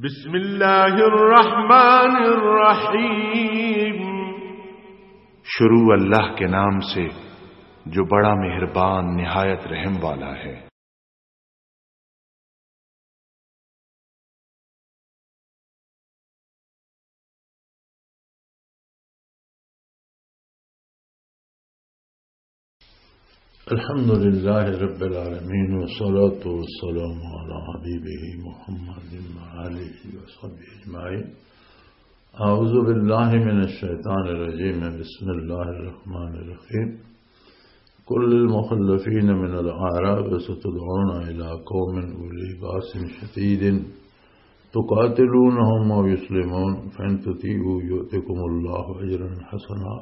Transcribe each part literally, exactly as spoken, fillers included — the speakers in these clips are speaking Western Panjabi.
بسم اللہ الرحمن الرحیم۔ شروع اللہ کے نام سے جو بڑا مہربان نہایت رحم والا ہے۔ الحمد لله رب العالمين، والصلاة والسلام على حبيبه محمد وآله وصحبه أجمعين. أعوذ بالله من الشيطان الرجيم. بسم الله الرحمن الرحيم. قل للمخلفين من الأعراب ستدعون إلى قوم أولي بأس شديد تقاتلونهم أو يسلمون فإن تطيعوا يؤتكم الله أجرا حسنا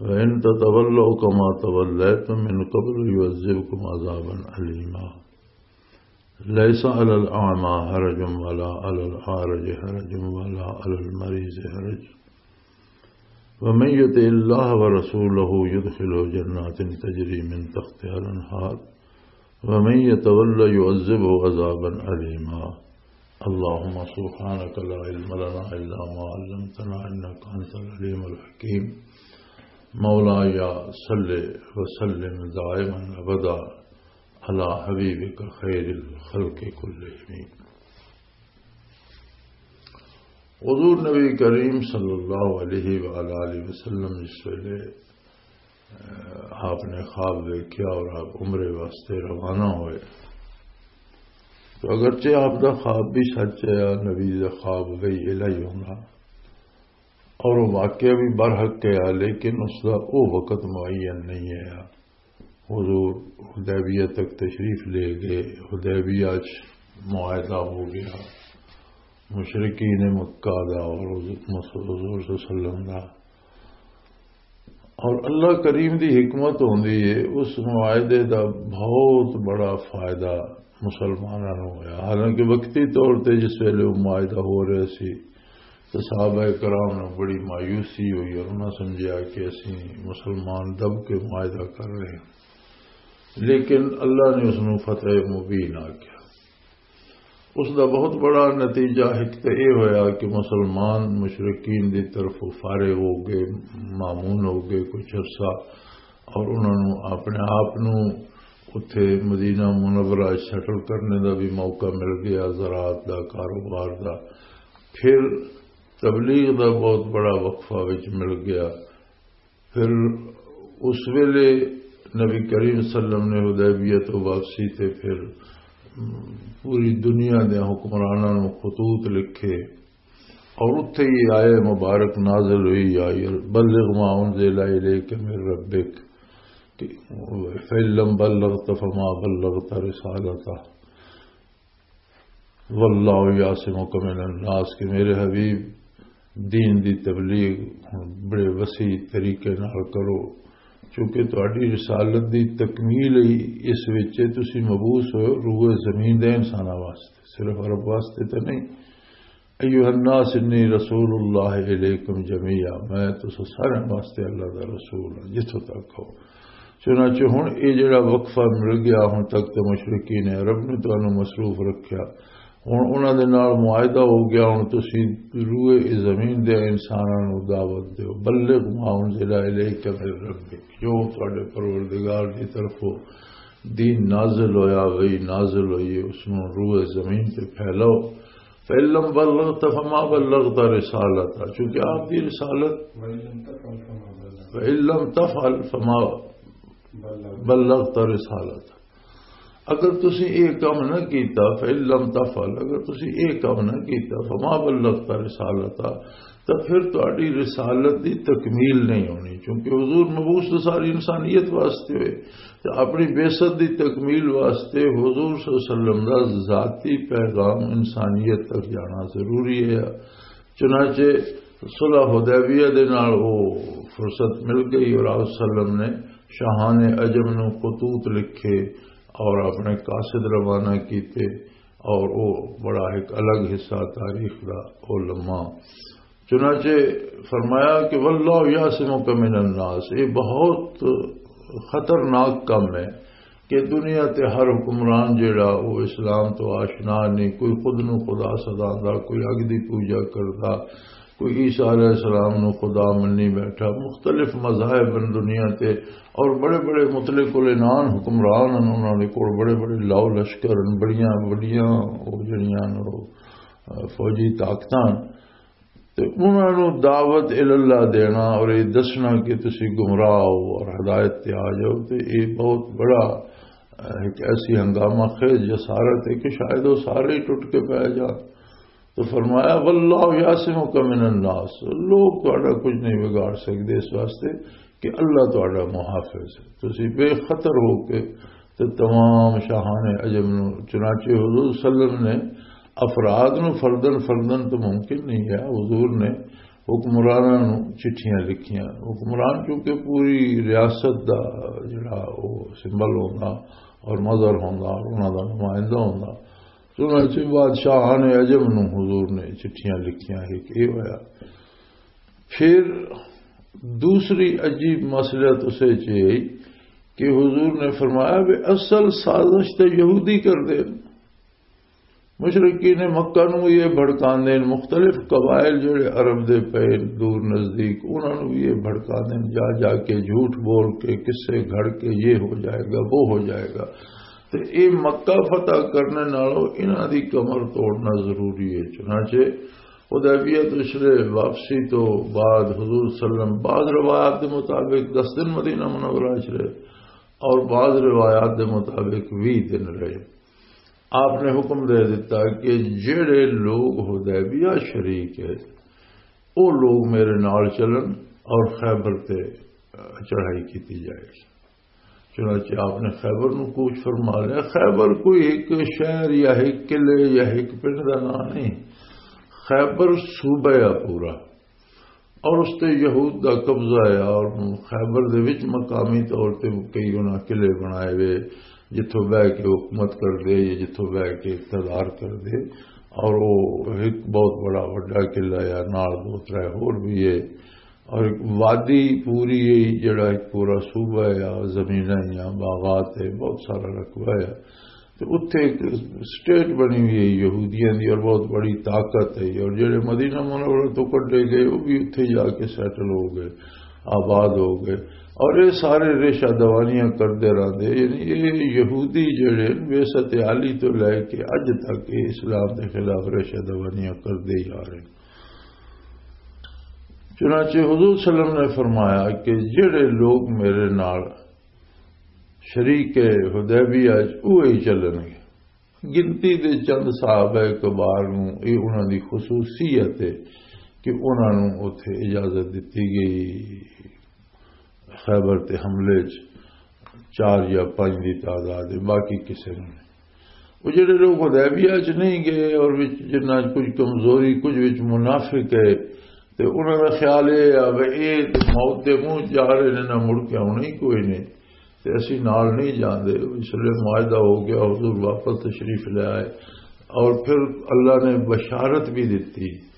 وإن تتولوا كما توليتم من قبل يعذبكم عذابا أليما. ليس على الأعمى حرج ولا على الأعرج حرج ولا على المريض حرج ومن يطع الله ورسوله يدخله جنات تجري من تحتها الأنهار ومن يتول يعذبه عذابا أليما. اللهم سبحانك لا علم لنا إلا ما علمتنا إنك أنت العليم الحكيم. مولاي صل وسلم دائما أبدا على حبيبك خير الخلق كلهم. حضور نبی کریم صلی اللہ علیہ وآلہ وسلم جس ویلے، اہ، آپ نے خواب دیکھا اور آپ عمرے واسطے روانہ ہوئے، تو اگرچہ آپ دا خواب بھی سچ ہے، نبی دا خواب بھی الہی ہونا، اور وہ واقعہ بھی برحق ہے، لیکن اس دا وہ وقت معین نہیں ہے۔ حضور حدیبیہ تک تشریف لے گئے، حدیبیہ چ معاہدہ ہو گیا، مشرکین مکہ دا اور حضور صلی اللہ علیہ وسلم دا۔ اور اللہ کریم دی حکمت ہوندی ہے، اس معاہدے دا بہت بڑا فائدہ مسلماناں نوں ہویا۔ حالانکہ وقتی طور تے جس ویلے وہ معاہدہ ہو رہے سی، تے صحابہ کرام نوں بڑی مایوسی ہوئی اور انہاں سمجھیا کہ اسی مسلمان دب کے معاہدہ کر رہے ہیں، لیکن اللہ نے اس نوں فتح مبین آکھیا۔ اس دا بہت بڑا نتیجہ ایک تے یہ ہویا کہ مسلمان مشرکین دی طرف فارغ ہو گئے، مامون ہو گئے کچھ عرصہ، اور انہاں نوں اپنے آپ نوں اتھے مدینہ منورہ سیٹل کرنے دا بھی موقع مل گیا، زراعت دا، کاروبار دا۔ پھر تبلیغ دا بہت بڑا وقفہ وچ مل گیا۔ پھر اس ویلے نبی کریم صلی اللہ علیہ وسلم نے حدیبیہ تو واپسی تے پھر پوری دنیا دے حکمراناں نوں خطوط لکھے، اور اتھے ہی آیہ مبارک نازل ہوئی، یا بلغ ما انزل الیک من ربک، کہ فَإِن لَّمْ بَلَّغْتَ فَمَا بَلَّغْتَ رِسَالَتَهُ، وَاللَّهُ يَعْصِمُكَ مِنَ النَّاسِ، کہ میرے حبیب، دین دی تبلیغ بڑے وسیع طریقے نال کرو، چونکہ تہاڈی رسالت دی تکمیل ہی اس وچ ہے، تسی مبعوث ہوئے روئے زمین دے انساناں واسطے، صرف عرب واسطے تے نہیں۔ ایھا الناس انی رسول اللہ الیکم جمیعا، میں تساں سارے واسطے اللہ دا رسول ہاں جتھوں تک ہو۔ چنانچہ ہن اے جڑا وقفہ مل گیا، ہن تک تے مشرکین عرب نے تانوں مصروف رکھیا، ہن انہاں دے نال معاہدہ ہو گیا، ہن تسی روئے زمین دے انساناں نوں دعوت دیو، بلغ ما انزل الیک من ربک، جو تہاڈے پروردگار دی طرفوں دین نازل ہویا، وحی نازل ہوئی ہے، اس نوں روئے زمین تے پھیلاؤ۔ فَإِن لَّمْ بَلَّغْتَ فَمَا بَلَّغْتَ رِسَالَتَهُ، چونکہ آپ دی رسالت، فَإِن لَّمْ تَفْعَلْ فَمَا بَلَّغْتَ رِسَالَتَهُ، اگر تسی اے کام نہ کیتا، فَإِن لَّمْ تَفْعَلْ، اگر تسی اے کام نہ کیتا، فَمَا بَلَّغْتَ رِسَالَتَهُ، تو پھر تہاڈی رسالت دی تکمیل نہیں ہونی، کیونکہ حضور مبعوث تو ساری انسانیت واسطے ہوئے، تے اپنی بعثت دی تکمیل واسطے حضور صلی اللہ علیہ وسلم دا ذاتی پیغام انسانیت تک جانا ضروری ہے۔ چنانچہ صلح حدیبیہ دے نال وہ فرصت مل گئی اور آپ صلی اللہ علیہ وسلم نے شاہان عجم نو خطوط لکھے اور اپنے قاصد روانہ کیتے، اور وہ بڑا ایک الگ حصہ تاریخ دا، وہ لمحہ۔ چنانچہ فرمایا کہ واللہ یعصمک من الناس، یہ بہت خطرناک کام ہے۔ کہ دنیا تے ہر حکمران جڑا، وہ اسلام تو آشنا نہیں، کوئی خود نو خدا سداندا، کوئی اگ دی پوجا کردا، کوئی عیسیٰ علیہ السلام نو خدا منی بیٹھا۔ مختلف مذاہب ہیں دنیا تے، اور بڑے بڑے مطلق العنان حکمران ہیں، انہاں دے کول بڑے بڑے لاؤ لشکر ہیں، بڑیاں بڑیاں وہ جڑیاں نے وہ، آ، فوجی طاقتاں۔ تے انہاں نوں دعوت الاللہ دینا اور یہ دسنا کہ تسی گمراہ ہو اور ہدایت تے آ جاؤ، تے یہ بہت بڑا، آ، ایک ایسی ہنگامہ خیز جسارت ہے کہ شاید وہ سارے ہی ٹوٹ کے پی جان۔ تو فرمایا، "واللہ یعصمک من الناس"، لوگ تہاڈا کچھ نہیں بگاڑ سکدے، اس واسطے کہ اللہ تہاڈا محافظ ہے، تسی بے خطر ہو کے تے تمام شاہان عجم نو۔ چنانچہ حضور صلی اللہ علیہ وسلم نے افراد نو فردن فردن تو ممکن نہیں ہے، حضور نے حکمراناں نو چٹھیاں لکھیاں۔ حکمران چونکہ پوری ریاست دا جڑا او سمبل ہوندا اور مظہر ہوندا اور انہاں دا نمائندہ ہوندا، چنانچہ بادشاہان عجم نو حضور نے چٹھیاں لکھیاں، ایک یہ ہویا۔ پھر دوسری عجیب مصلحت اسے چ یہ کہ حضور نے فرمایا بھی اصل سازش تے یہودی کر دے۔ مشرقین مکہ نو یہ بھڑکاندے نے، مختلف قبائل جڑے عرب دے پے دور نزدیک، انہاں نو یہ بھڑکاندے نے، جا جا کے جھوٹ بول کے قصے گھڑ کے یہ ہو جائے گا، وہ ہو جائے گا۔ تے اے مکہ فتح کرنے نالوں انہاں دی کمر توڑنا ضروری ہے۔ چنانچہ حدیبیہ تو شرے واپسی تو بعد حضور صلی اللہ علیہ وسلم بعض روایات دے مطابق دس دن مدینہ منورہ چ رہے اور بعض روایات دے مطابق ویہہ دن رہے۔ آپ نے حکم دے دیتا کہ جڑے لوگ حدیبیہ شریک ہے، وہ لوگ میرے نال چلن اور خیبر تے چڑھائی کیتی جائے۔ چنانچہ آپ نے خیبر نو کوچ فرما لیا۔ خیبر کوئی ایک شہر یا ایک قلعے یا ایک پنڈ دا نام نہیں، خیبر صوبہ ہے پورا، اور اس تے یہود دا قبضہ ہے، اور خیبر دے وچ مقامی طور تے کئی انہاں قلعے بنائے ہوئے، جتھوں بہ کے حکومت کر دے یا جتھوں بہ کے اقتدار کر دے، اور وہ ایک بہت بڑا وڈا قلعہ ہے، نال دو ترے ہور بھی ہے، اور ایک وادی پوری ہے، جڑا ایک پورا صوبہ ہے، زمیناں یا باغات ہے، بہت سارا رقبہ ہے۔ تے اتھے ایک سٹیٹ بنی ہوئی ہے یہودیاں دی، اور بہت بڑی طاقت ہے، اور جڑے مدینہ منورہ تو کڈے گئے، وہ بھی اتھے جا کے سیٹل ہو گئے، آباد ہو گئے۔ اور یہ سارے ریشہ دوانیاں کردے رہندے، یعنی یہ یہودی جڑے ویست عالی تو لے کے اج تک یہ اسلام دے خلاف ریشہ دوانیاں کردے ہی آ رہے۔ چنانچہ حضور صلی اللہ علیہ وسلم نے فرمایا کہ جڑے لوگ میرے نال شریک حدیبیہ وچ اوہی چلن گے۔ گنتی دے چند صحابہ کبار نوں اے انہاں دی خصوصیت ہے کہ انہاں نوں اوتھے اجازت دتی گئی خیبر تے حملے چ چار یا پنج دی تعداد ہے، باقی کسے نوں نہیں۔ وہ جڑے لوگ حدیبیہ چ نہیں گئے اور وچ جنہاں چ کچھ کمزوری، کچھ وچ منافق ہے، تے انہاں دا خیال یہ ہے کہ یہ تے موت دے منہ جا رہے نے، نہ مڑ کے آنا ہی کوئی نہیں، تے اسی نال نہیں جاندے۔ اس لیے معاہدہ ہو گیا، حضور واپس تشریف لے آئے، اور پھر اللہ نے بشارت بھی دیتی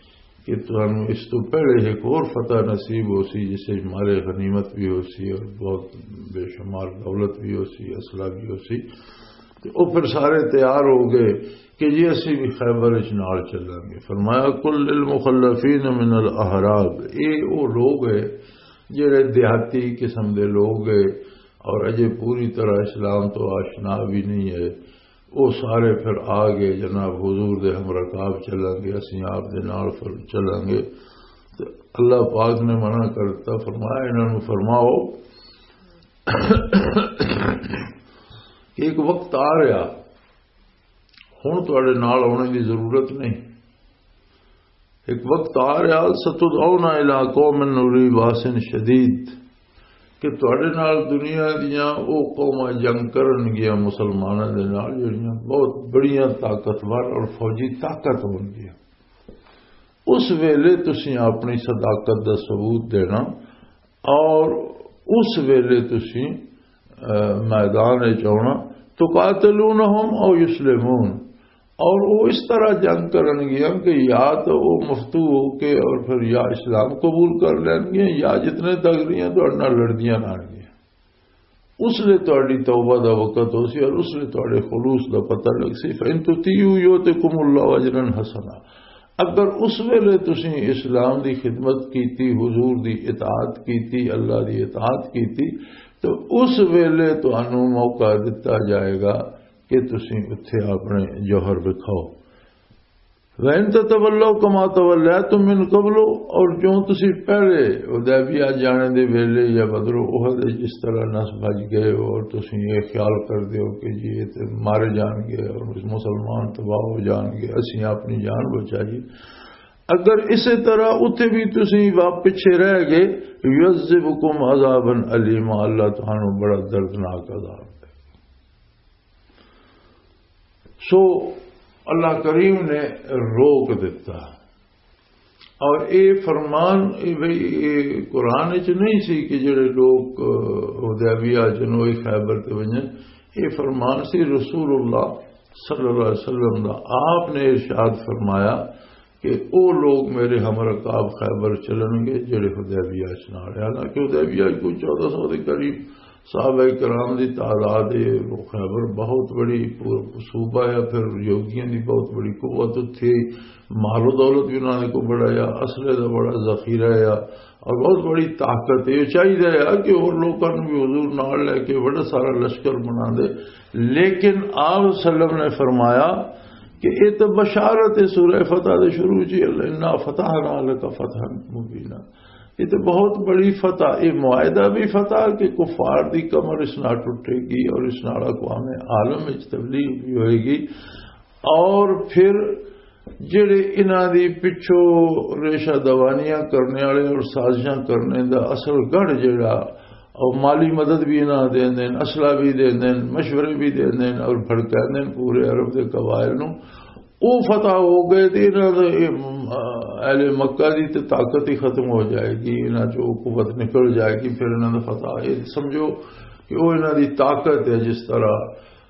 کہ تانوں اس تو پہلے ایک اور فتح نصیب ہو سی، جس سے مال غنیمت بھی ہو سی اور بہت بے شمار دولت بھی ہو سی، اسلحہ بھی ہو سی۔ تے او پھر سارے تیار ہو گئے کہ جی اسی بھی خیبر وچ نال چلاں گے۔ فرمایا، "قل للمخلفین من الاعراب"، اے او لوگ ہے جڑے دیہاتی قسم دے لوگ ہے اور اجے پوری طرح اسلام تو آشنا بھی نہیں ہے۔ وہ سارے پھر آ گئے، "جناب، حضور دے ہم رکاب چلیں گے، اسی آپ دے نال پھر چلیں گے۔" تے اللہ پاک نے منع کر دتا، فرمایا، "انہاں نوں فرماؤ کہ ایک وقت آ رہا، ہن تہاڈے نال آنے دی ضرورت نہیں۔" ایک وقت آ رہا، "ستدعون الی قوم اولی باس شدید"، کہ تہاڈے نال دنیا دیاں او قوماں جنگ کرن گیاں مسلماناں دے نال، جڑیاں بہت بڑیاں طاقتور اور فوجی طاقت ہون گیاں۔ اس ویلے تسی اپنی صداقت دا ثبوت دینا، اور اس ویلے تسی، اہ، میدان وچ آنا، "تقاتلونہم او یسلمون"، اور وہ اس طرح جنگ کرن گیاں کہ یا تو وہ مفتو ہو کے اور پھر یا اسلام قبول کر لین گیاں، یا جتنے تک رہیاں تو اڑنا لڑدیاں رہن گیاں۔ اس لیے تہاڈی توبہ دا وقت ہو سی اور اس لیے تہاڈے خلوص دا پتہ لگ سی۔ فَإِن تُطِيعُوا يُؤْتِكُمُ اللَّهُ أَجْرًا حَسَنًا۔ اگر اس ویلے تسی اسلام دی خدمت کیتی، حضور دی اطاعت کیتی، اللہ دی اطاعت کیتی، تو اس ویلے تانوں موقع دتا جائے گا کہ تسی اتھے اپنے جوہر وکھاؤ۔ وَإِن تَتَوَلَّوْا كَمَا تَوَلَّيْتُم مِّن قَبْلُ، اور جو تسی پہلے حدیبیہ جانے دے ویلے یا بدر احد وچ جس طرح نس بھج گئے ہو اور تسی یہ خیال کر دے ہو کہ جی یہ تے مارے جان گے اور مسلمان تباہ ہو جان گے، اسی اپنی جان بچائی، اگر اسی طرح اتھے بھی تسی واپ پچھے رہ گئے، يُعَذِّبْكُمْ عَذَابًا أَلِيمًا، اللہ تانوں بڑا دردناک عذاب دے۔ سو اللہ کریم نے روک دیتا۔ اور اے فرمان، اے بھئی، اے قرآن وچ نہیں سی کہ جڑے لوگ، اہ، حدیبیہ چ نو خیبر تے ونجن۔ اے فرمان سی رسول اللہ صلی اللہ علیہ وسلم دا۔ آپ نے ارشاد فرمایا کہ او لوگ میرے ہم رکاب خیبر چلن گے جڑے حدیبیہ چ نال۔ حالانکہ حدیبیہ چ کوئی چودہ سو دے قریب صحابہ کرام دی تعداد ہے۔ وہ خیبر بہت بڑی پور-، صوبہ ہے، پھر یہودیاں دی بہت بڑی قوت اتھے، مال و دولت بھی انہاں نے کو بڑا یا، اسلحے دا بڑا ذخیرہ ہے اور بہت بڑی طاقت ہے۔ یہ چاہیے ہے کہ اور لوکاں نوں بھی حضور نال لے کے بڑا سارا لشکر بنا دے، لیکن آپ صلی اللہ علیہ وسلم نے فرمایا کہ یہ تو بشارت ہے، سورہ فتح دے شروع چ ہی، "انا فتحنا لک فتحا مبینا"، یہ تو بہت بڑی فتح، یہ معاہدہ بھی فتح کہ کفار دی کمر اس نال ٹوٹے گی اور اس نال اقوام عالم وچ تبلیغ بھی ہوئے گی، اور پھر جڑے انہاں دی پچھوں ریشہ دوانیاں کرنے والے اور سازشاں کرنے دا اصل گڑھ جڑا، اور مالی مدد بھی انہاں دیندے نے، اسلحہ بھی دیندے نے، مشورے بھی دیندے نے اور بھڑکاندے نے پورے عرب دے قبائل نوں۔ او فتح ہو گئے تے انہاں دے، اے، اہل مکہ دی تے طاقت ہی ختم ہو جائے گی، انہاں چوں قوت نکل جائے گی، پھر انہاں دا فتح، اے سمجھو کہ او انہاں دی طاقت ہے، جس طرح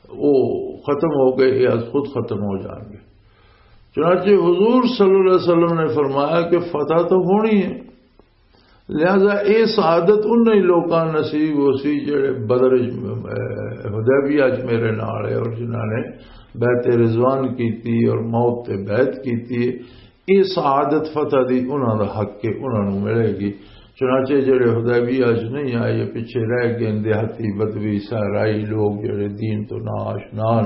او ختم ہو گئے، اے از خود ختم ہو جائیں گے۔ چنانچہ حضور صلی اللہ علیہ وسلم نے فرمایا کہ فتح تو ہونی ہے، لہذا اے سعادت انہاں ہی لوکاں نصیب ہو سی جڑے بدر وچ، اے، حدیبیہ وچ میرے نال ہے اور جنہاں نے بیعت رضوان کیتی اور موت تے بیعت کیتی ہے، اے سعادت فتح دی انہاں دا حق ہے، انہاں نوں ملے گی۔ چنانچہ جڑے حدیبیہ وچ نہیں آئے، پیچھے رہ گئے، دیہاتی بدوی صحرائی لوگ جڑے دین تو ناآشنا ہن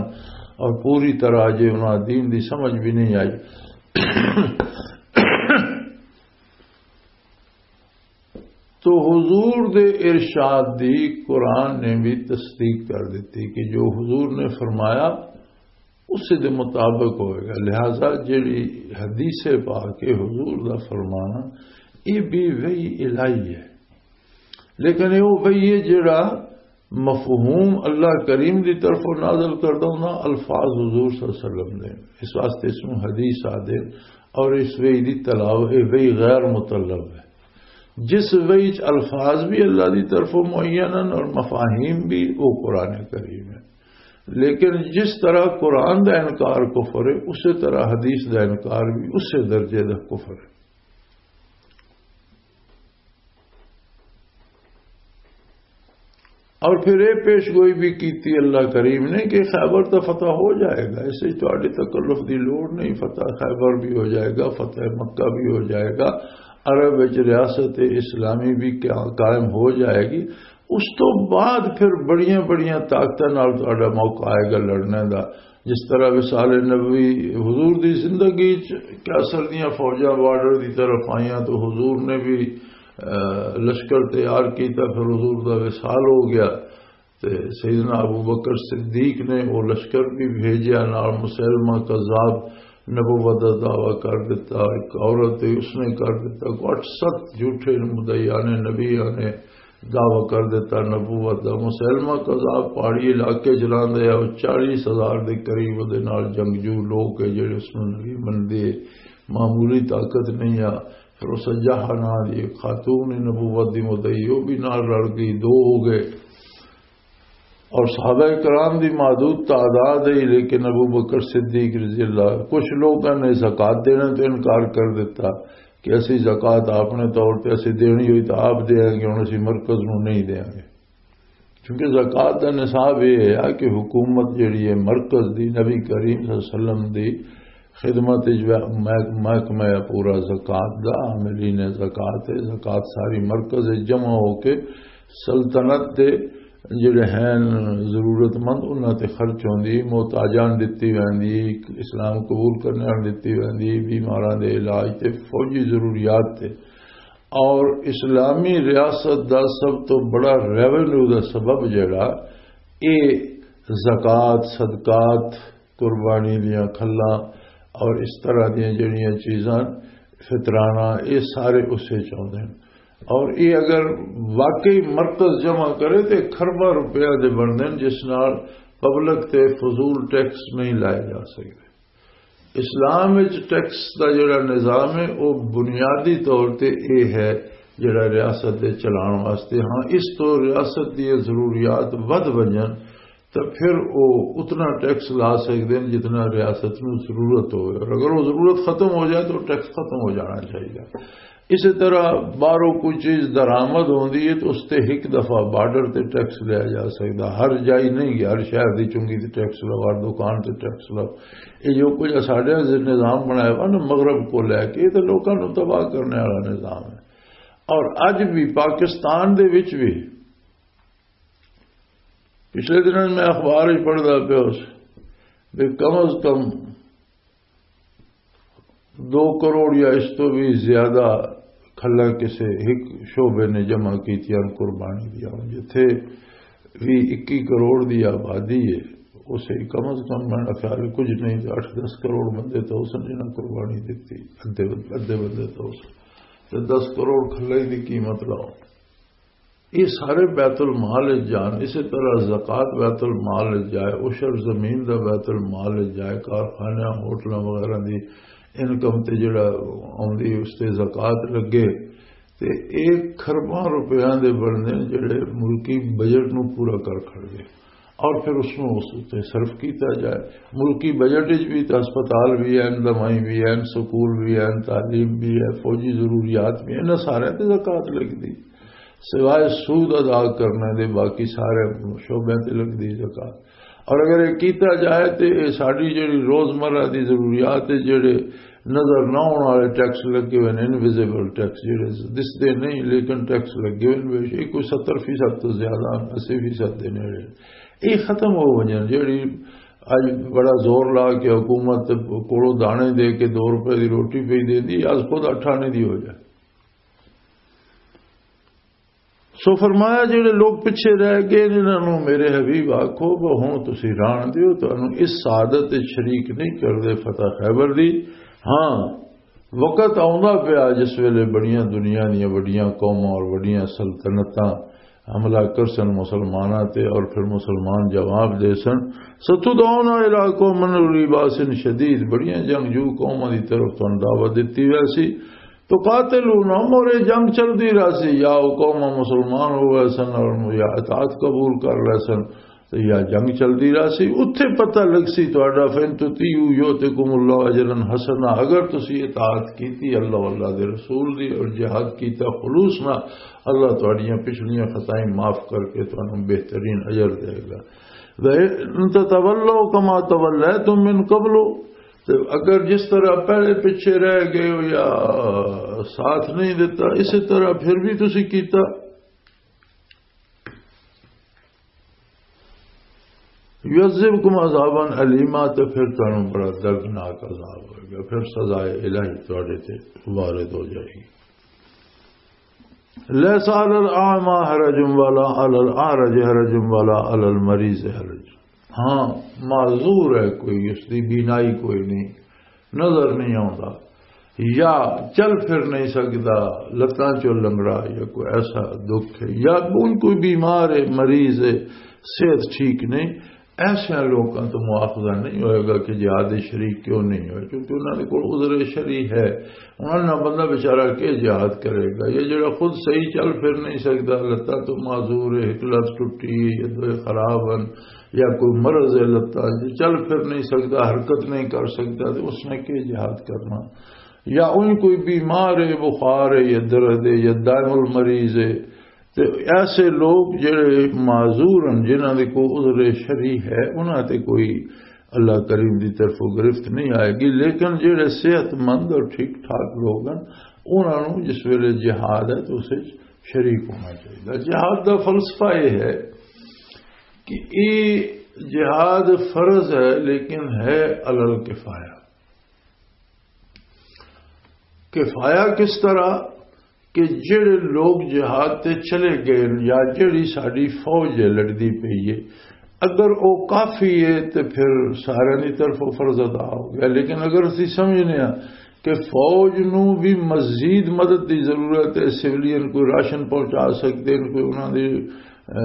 اور پوری طرح جے انہاں دین دی سمجھ بھی نہیں آئی۔ تو حضور دے ارشاد دی قرآن نے بھی تصدیق کر دیتی کہ جو حضور نے فرمایا، اس دے مطابق ہوئے گا۔ لہذا جڑی حدیث پاک ہے، حضور دا فرمانا، یہ بھی وحی الہی ہے، لیکن یہ وہ وحی ہے جڑا مفہوم اللہ کریم دی طرفوں نازل کردہ ہونا، الفاظ حضور صلی اللہ علیہ وسلم دے۔ اس واسطے اس نوں حدیث آدے اور اس وحی دی تلاوت، یہ وحی غیر مطلب ہے۔ جس وحی چ الفاظ بھی اللہ دی طرفوں معین ہیں اور مفاہیم بھی، وہ قرآن کریم ہے۔ لیکن جس طرح قرآن دا انکار کفر ہے، اسی طرح حدیث دا انکار بھی اسی درجے دا کفر ہے۔ اور پھر یہ پیش گوئی بھی کی تھی اللہ کریم نے کہ خیبر تو فتح ہو جائے گا، اس سے تہاڈے تکلف دی لوڑ نہیں، فتح خیبر بھی ہو جائے گا، فتح مکہ بھی ہو جائے گا، عرب وچ ریاست اسلامی بھی قا-، قائم ہو جائے گی۔ اس تو بعد پھر بڑیاں بڑیاں طاقتاں نال تہاڈا موقع آئے گا لڑنے دا۔ جس طرح وصال نبوی، حضور دی زندگی چ کیسر دیاں فوجاں بارڈر دی طرف آئیاں تو حضور نے بھی، اہ، لشکر تیار کیتا، پھر حضور دا وصال ہو گیا۔ تے سیدنا ابو بکر صدیق نے وہ لشکر بھی بھیجیا، نال مسلمہ کذاب نبوت دا دعویٰ کر دیتا، ایک عورت تھی، اس نے کر دیتا، کوئی اٹھ ست جھوٹے مدعیان نبی نے دعویٰ کر دیتا نبوت دا۔ مسلمہ کذاب پہاڑی علاقے چ رہندا ہے، وہ چالیس ہزار دے قریب دے نال جنگجو لوگ ہے جڑے اس نوں نبی مندے، معمولی طاقت نہیں آ۔ پھر اس جہاں ناں دی ایک خاتون نبوت دی مدعی، وہ بھی نال رل گئی، دو ہو گئے۔ اور صحابہ کرام دی محدود تعداد ہے، لیکن ابو بکر صدیق رضی اللہ، کچھ لوگوں نے زکوٰۃ دینے تو انکار کر دیتا کہ اسی زکوٰۃ اپنے طور تے اسی دینی ہوئی تو آپ دیں گے، ہن اسی مرکز نوں نہیں دیں گے۔ کیونکہ زکوٰۃ دا نصاب یہ ہے کہ حکومت جڑی ہے مرکز دی، نبی کریم صلی اللہ علیہ وسلم دی خدمت وچ مح-، محکمہ ہے پورا زکوٰۃ دا، عاملین زکوٰۃ ہے۔ زکوٰۃ ساری مرکز وچ جمع ہو کے سلطنت دے جڑے ہیں ضرورت مند، انہاں تے خرچ ہوندی، محتاجاں نوں دتی ویندی، اسلام قبول کرنے والے دتی ویندی، بیماراں دے علاج تے فوجی ضروریات تے۔ اور اسلامی ریاست دا سب تو بڑا ریونیو دا سبب جڑا، اے زکوٰۃ، صدقات، قربانی دیاں کھلاں اور اس طرح دیاں جڑیاں چیزاں، فطرانہ، اے سارے اسے چ آؤندے ہن۔ اور اے اگر واقعی مرکز جمع کرے تے کھرباں روپیہ دے بندے ہن، جس نال پبلک تے فضول ٹیکس نہیں لائے جا سکدے۔ اسلام وچ ٹیکس دا جڑا نظام ہے، وہ بنیادی طور تے اے ہے جڑا ریاست دے چلان واسطے۔ ہاں، اس تو ریاست دی ضروریات ودھ ونجن، تو پھر وہ اتنا ٹیکس لا سکدے ہیں جتنا ریاست نوں ضرورت ہوئے، اور اگر وہ ضرورت ختم ہو جائے تو ٹیکس ختم ہو جانا چاہیے۔ اسی طرح باہروں کوئی چیز درآمد ہوندی ہے تو اس تے ایک دفعہ بارڈر تے ٹیکس لیا جا سکدا، ہر جائی نہیں کہ ہر شہر دی چنگی تے ٹیکس لو، ہر دکان تے ٹیکس لو۔ یہ جو کچھ ساڈے نظام بنایا ہوا نا مغرب کو لے کے، یہ تو لوکاں نوں تباہ کرنے والا نظام ہے۔ اور اج بھی پاکستان دے وچ بھی، پچھلے دنوں میں اخبار وچ پڑھدا پیا اس، بھی کم از کم دو کروڑ یا اس تو بھی زیادہ کھلا کسے ایک شعبے نے جمع کیتیاں قربانی دیا، جتھے بھی اکی کروڑ دی آبادی ہے، اسے کم از کم میرا خیال ہے کچھ نہیں تو اٹھ دس کروڑ بندے تو اس نے جنہاں قربانی دیتی، ادھے ادھے بندے تو اس، تے دس کروڑ کھلے دی قیمت لاؤ۔ یہ سارے بیت المال وچ جان، اسی طرح زکوٰۃ بیت المال وچ جائے، عشر زمین دا بیت المال وچ جائے، کارخانیاں، ہوٹلاں وغیرہ دی انکم تے جڑا آوندی، اس تے زکوٰۃ لگے، تے ایک کھرباں روپیاں دے بندے جڑے ملکی بجٹ نو پورا کر کھڑ گئے۔ اور پھر اس نو اس تے صرف کیتا جائے۔ ملکی بجٹ وچ بھی تے ہسپتال بھی ہیں، دوائی بھی ہیں، سکول بھی ہیں، تعلیم بھی ہے، فوجی ضروریات بھی ہیں، انہاں سارے تے زکوٰۃ لگدی۔ سوائے سود ادا کرنے دے باقی سارے شعبیاں تے لگدی زکوٰۃ۔ اور اگر یہ کیتا جائے تے یہ ساری جڑی روزمرہ دی ضروریات ہے، جڑے نظر نہ آنے والے ٹیکس لگے ہوئے ہیں، انویزیبل ٹیکس جڑے دسدے نہیں لیکن ٹیکس لگے ہوئے ہیں، بے شک کوئی ستر فیصد تو زیادہ، اسی فیصد دے نیڑے، یہ ختم ہو وجن۔ جڑی اج بڑا زور لا کے حکومت کولوں دانے دے کے دو روپے دی روٹی پئی دیندی، اج خود اٹھانے دی ہو جائے۔ سو فرمایا، جڑے لوگ پچھے رہ گئے، انہاں نوں میرے حبیب آکھو، وہ ہن تسی ران دیو، تانوں اس سعادت وچ شریک نہیں کردے، فتح خیبر دی۔ ہاں، وقت آوندا پیا جس ویلے بڑیاں دنیا دیاں وڈیاں قوماں اور وڈیاں سلطنتاں حملہ کرسن مسلماناں تے، اور پھر مسلمان جواب دے سن، "ستدعون الی قوم اولی باس شدید"، بڑیاں جنگجو قوماں دی طرف تانوں دعوت دتی ویسی۔ تو قاتلون، اور یہ جنگ چلدی رہسی، یا وہ قوم مسلمان ہو گئے سن اور یا اطاعت قبول کر لے سن، تو یا جنگ چلدی رہسی، اتھے پتہ لگسی تہاڈا، فَإِن تُطِيعُوا يُؤْتِكُمُ اللَّهُ أَجْرًا حَسَنًا، اگر تسی اطاعت کیتی اللہ، اللہ دے رسول دی اور جہاد کیتا خلوص نال، اللہ تہاڈیاں پچھلیاں خطائیں معاف کر کے تانوں بہترین اجر دے گا۔ وَإِن تَتَوَلَّوْا كَمَا تَوَلَّيْتُم مِّن قَبْلُ، تے اگر جس طرح پہلے پیچھے رہ گئے ہو یا ساتھ نہیں دیتا، اسی طرح پھر بھی تسی کیتا۔ یعذبکم عذابا الیما، تے پھر تانوں بڑا دردناک عذاب ہوئے گا، پھر سزائے الہی تواڈے تے وارد ہو جائے گی۔ لیس علی الاعمی حرج ولا علی الاعرج حرج ولا علی المریض حرج۔ ہاں، معذور ہے کوئی، اس دی بینائی کوئی نہیں، نظر نہیں آتا، یا چل پھر نہیں سکتا، لتاں چوں لنگڑا، یا کوئی ایسا دکھ ہے، یا کوئی، کوئی بیمار ہے، مریض ہے، صحت ٹھیک نہیں، ایسے لوگوں تو مواخذہ نہیں ہوئے گا کہ جہاد شریک کیوں نہیں ہوئے، کیونکہ انہوں نے کوئی عذر شرعی ہے۔ انہوں نے بندہ بیچارہ کے جہاد کرے گا؟ یہ جڑا خود صحیح چل پھر نہیں سکتا، لتاں تو معذور ہے، ایک لت ٹوٹی ہے، یہ دو خراب ہیں، یا کوئی مرض ہے، لتاں چل پھر نہیں سکتا، حرکت نہیں کر سکتا، تو اس نے کے جہاد کرنا؟ یا ان کوئی بیمار ہے، بخار ہے، یا درد ہے، یا دائم المریض ہے، تے ایسے لوگ جڑے معذور ہیں، جنہاں دے کوئی عذر شرعی ہے، انہاں تے کوئی اللہ کریم دی طرفوں گرفت نہیں آئے گی، لیکن جڑے صحت مند اور ٹھیک ٹھاک لوگ ہیں، انہاں نوں جس ویلے جہاد ہے تو اس وچ شریک ہونا چاہیے۔ جہاد دا فلسفہ یہ ہے کہ یہ جہاد فرض ہے، لیکن ہے علی الکفایہ۔ کفایہ کس طرح؟ کہ جڑے لوگ جہاد تے چلے گئے یا جڑی ساڈی فوج ہے لڑدی پئی ہے، اگر وہ کافی ہے تے پھر سارے دی طرف فرض ادا ہو گیا۔ لیکن اگر اسی سمجھنے ہاں کہ فوج نو بھی مزید مدد دی ضرورت ہے، سویلین کوئی راشن پہنچا سکتے ہیں، کوئی انہاں دی، اہ،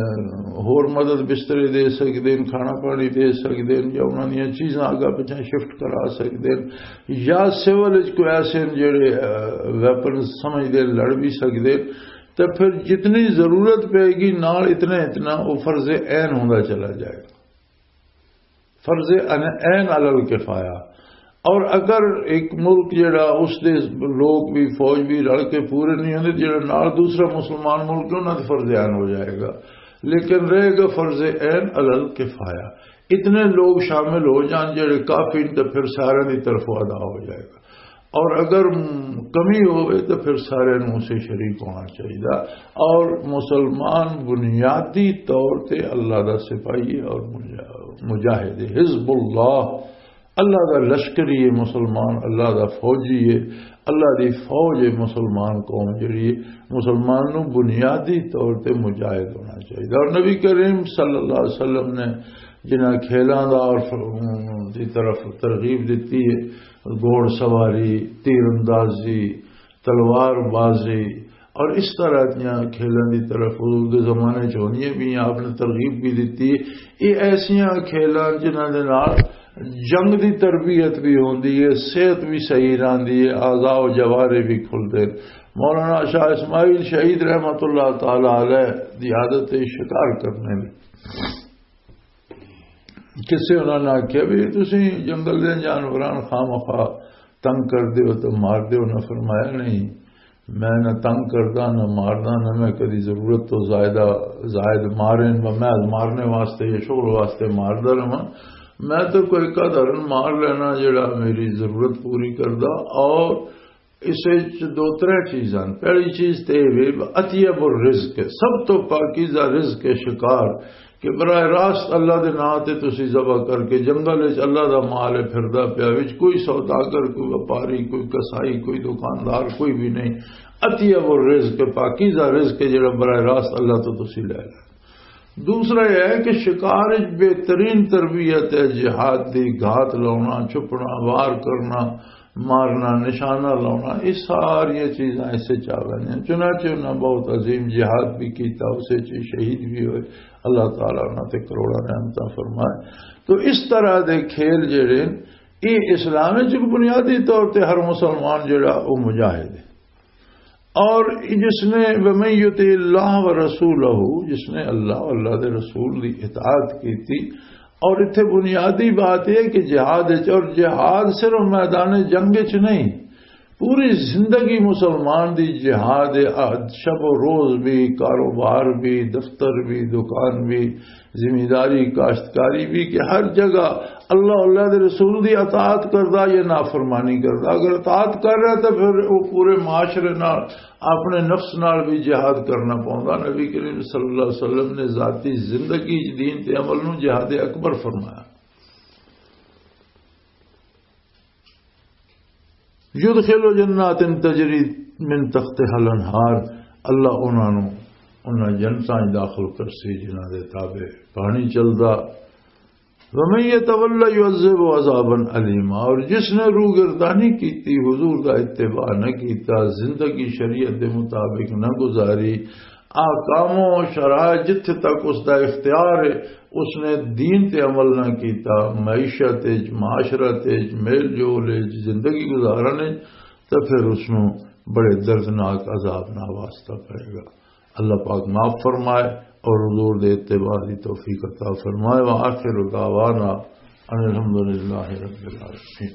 ہور مدد، بسترے دے سکتے ہیں، کھانا پانی دے سکتے ہیں، یا انہاں دیاں چیزاں آگا پچھاں شفٹ کرا سکتے ہیں، یا سول وچ کوئی ایسے ہیں جڑے، اہ، ویپن سمجھدے لڑ بھی سکتے ہیں، تے پھر جتنی ضرورت پے گی نال اتنا اتنا وہ فرض عین ہوندا چلا جائے گا۔ فرض عین علی الکفایہ۔ اور اگر ایک ملک جڑا اس دے لوگ بھی، فوج بھی رل کے پورے نہیں ہوندے، جڑا نال دوسرا مسلمان ملک ہے، انہاں تے فرض عین ہو جائے گا، لیکن رہے گا فرض عین علی الکفایہ۔ اتنے لوگ شامل ہو جان جڑے کافی، تو پھر سارے دی طرف ادا ہو جائے گا۔ اور اگر کمی ہوئے تو پھر سارے نوں اسے شریک ہونا چاہیے۔ اور مسلمان بنیادی طور تے اللہ دا سپاہی ہے اور مجا-، مجاہد ہے، حزب اللہ، اللہ دا لشکری ہے مسلمان، اللہ دا فوجی ہے، اللہ دی فوج ہے۔ مسلمان قوم جڑی ہے، مسلمان نوں بنیادی طور تے مجاہد ہونا چاہیے۔ اور نبی کریم صلی اللہ علیہ وسلم نے جنہاں کھیلاں دا اور ف-، دی طرف ترغیب دتی ہے، گھوڑ سواری، تیر اندازی، تلوار بازی اور اس طرح دیاں کھیلاں دی طرف حضور دے زمانے چ ہوندیاں بھی، آپ نے ترغیب بھی دتی۔ یہ ایسیاں کھیلاں جنہاں دے نال جنگ دی تربیت بھی ہوندی ہے، صحت بھی صحیح رہندی ہے، اعضاء و جوارے بھی کھلدے۔ مولانا شاہ اسماعیل شہید رحمت اللہ تعالی علیہ دی عادت ہے شکار کرنے دی۔ کسے انہاں نے آکھیا بھی تسی جنگل دے جانوراں خامخواہ تنگ کر دیو تے مار دیو؟ نہ، فرمایا نہیں، میں نہ تنگ کردا، نہ ماردا، نہ میں کدی ضرورت تو زائدہ، زائد مارے، نہ میں مارنے واسطے یا شغل واسطے ماردا رہواں۔ میں تو کوئی قدر مار لینا جڑا میری ضرورت پوری کردا۔ اور اس وچ دو ترے چیزاں۔ پہلی چیز تے یہ وے، اطیب الرزق، سب تو پاکیزہ رزق ہے شکار، کہ براہ راست اللہ دے نام تے تسی ذبح کر کے، جنگل وچ اللہ دا مال ہے پھردا پیا، وچ کوئی سوداگر، کوئی وپاری، کوئی کسائی، کوئی دکاندار، کوئی بھی نہیں۔ اطیب الرزق، پاکیزہ رزق ہے جڑا براہ راست اللہ تو تسی لے لے۔ دوسرا یہ ہے کہ شکار وچ بہترین تربیت ہے جہاد دی، گھات لاؤنا، چھپنا، وار کرنا، مارنا، نشانہ لاؤنا، یہ ساری چیزاں اس وچ آ ویندیاں۔ چنانچہ انہاں بہت عظیم جہاد بھی کیتا، اس وچ شہید بھی ہوئے، اللہ تعالیٰ انہاں تے کروڑاں رحمتاں فرمائے۔ تو اس طرح دے کھیل جڑے ہیں، یہ اسلام وچ بنیادی طور تے ہر مسلمان جڑا وہ مجاہد ہے۔ اور جس نے، وَمَن يُطِعِ اللَّهَ وَرَسُولَهُ، جس نے اللہ، اللہ دے رسول دی اطاعت کی تھی۔ اور اتھے بنیادی بات یہ کہ جہاد وچ، اور جہاد صرف میدان جنگ وچ نہیں، پوری زندگی مسلمان دی جہاد ہے۔ آ، شب و روز بھی، کاروبار بھی، دفتر بھی، دکان بھی، زمینداری، کاشتکاری بھی، کہ ہر جگہ اللہ، اللہ دے رسول دی اطاعت کردا یا نافرمانی کردا۔ اگر اطاعت کر رہا تو پھر وہ پورے معاشرے نال، اپنے نفس نال بھی جہاد کرنا پوندا۔ نبی کریم صلی اللہ علیہ وسلم نے ذاتی زندگی دین تے عمل نو جہاد اکبر فرمایا۔ یدخل جنات تجری من تحتها الانہار، اللہ انہاں نو انہاں جنتاں وچ داخل کرسی جنہاں دے تابع پانی چلدا۔ ومن یتول یعذب عذابا الیما، اور جس نے روگردانی کیتی، حضور دا اتباع نہ کیتا، زندگی شریعت دے مطابق نہ گزاری، احکام و شرائع جتھے تک اس دا اختیار ہے، اس نے دین تے عمل نہ کیتا، معیشت وچ، معاشرت وچ، میل جول وچ، زندگی گزارن وچ، تے پھر اس نوں بڑے دردناک عذاب نال واسطہ پائے گا۔ اللہ پاک معاف فرمائے اور حضور دے اتباع دی توفیق عطا فرمائے۔ وآخر دعوانا ان الحمدللہ رب العالمین۔